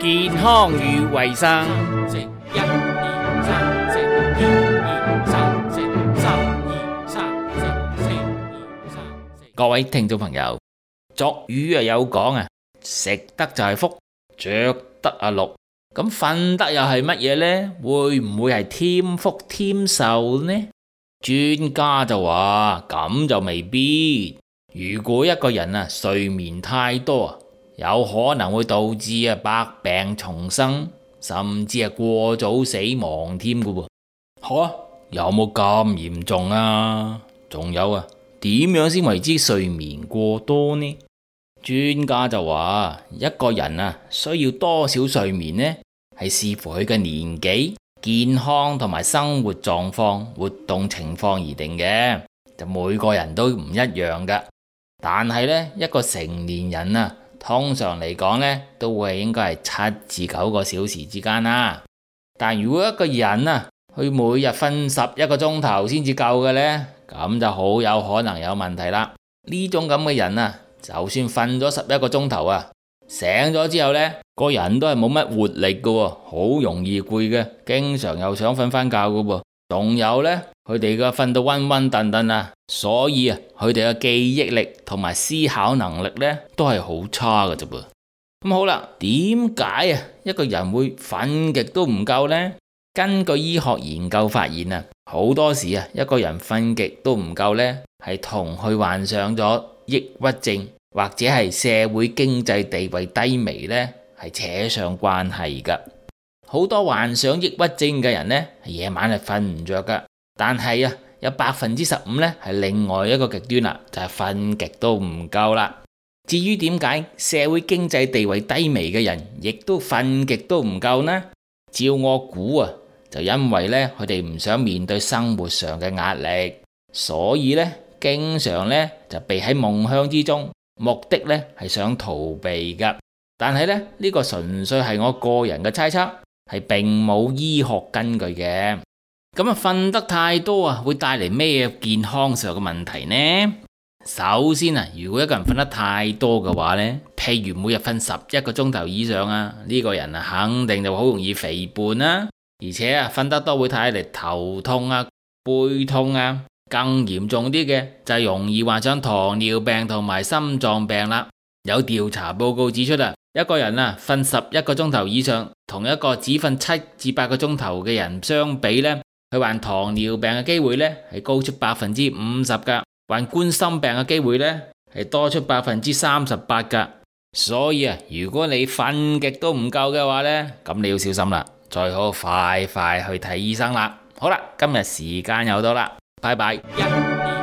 健康與衛生。食一二三，食二二三，食三二三，食四二三。各位聽眾朋友，俗語有講啊，食得就係福，着得啊祿。咁瞓得又係乜嘢呢？會唔會係添福添壽呢？專家就話咁就未必。如果一個人啊睡眠太多啊，有可能會導致百病叢生，甚至過早死亡添噶喎。吓，有冇咁嚴重啊？仲有啊，點樣先為之睡眠過多呢？專家就話一個人啊需要多少睡眠呢？係視乎佢嘅年紀、健康同埋生活狀況、活動情況而定嘅，就每個人都唔一樣噶。但係呢，一個成年人啊，通常嚟講呢，都會應該係7至9個小時之間啦。但如果一個人啊，佢每日瞓11個鐘頭先至夠嘅呢，咁就好有可能有問題啦。呢種咁嘅人啊，就算瞓咗11個鐘頭啊，醒咗之後呢，個人都係冇乜活力嘅喎，好容易攰嘅，經常又想瞓翻覺嘅喎。仲有呢，佢哋嘅瞓到昏昏沌沌啊，所以啊，佢哋嘅記憶力同埋思考能力呢，都係好差嘅啫噃。咁好啦，點解啊一個人會瞓極都唔夠呢？根據醫學研究發現啊，好多時啊一個人瞓極都唔夠呢，係同佢患上咗抑鬱症或者係社會經濟地位低微呢，係扯上關係噶。好多患上抑鬱症嘅人呢，夜晚係瞓唔着噶。但係啊，有15%呢係另外一個極端啦，就係瞓極都唔夠啦。至於點解社會經濟地位低微嘅人亦都瞓極都唔夠呢？照我估啊，就因為呢，佢哋唔想面對生活上嘅壓力，所以呢，經常呢就避喺夢鄉之中，目的呢係想逃避噶。但係呢，呢個純粹係我個人嘅猜測，係並冇醫學根據嘅。咁啊，瞓得太多啊，會帶嚟咩健康上嘅問題呢？首先啊，如果一個人瞓得太多嘅話呢，譬如每日瞓11個鐘頭以上啊，呢個人啊肯定就好容易肥胖啦。而且啊，瞓得多會帶嚟頭痛啊、背痛啊，更嚴重啲嘅就係容易患上糖尿病同埋心臟病啦。有調查報告指出啊，一個人啊瞓11個鐘頭以上，同一個只瞓7至8個鐘頭嘅人相比呢，佢患糖尿病嘅機會呢係高出50%噶，患冠心病嘅機會呢係多出38%噶。所以啊，如果你瞓極都唔夠嘅話呢，咁你要小心啦，最好快快去睇醫生啦。好啦，今日時間又到啦，拜拜。1、2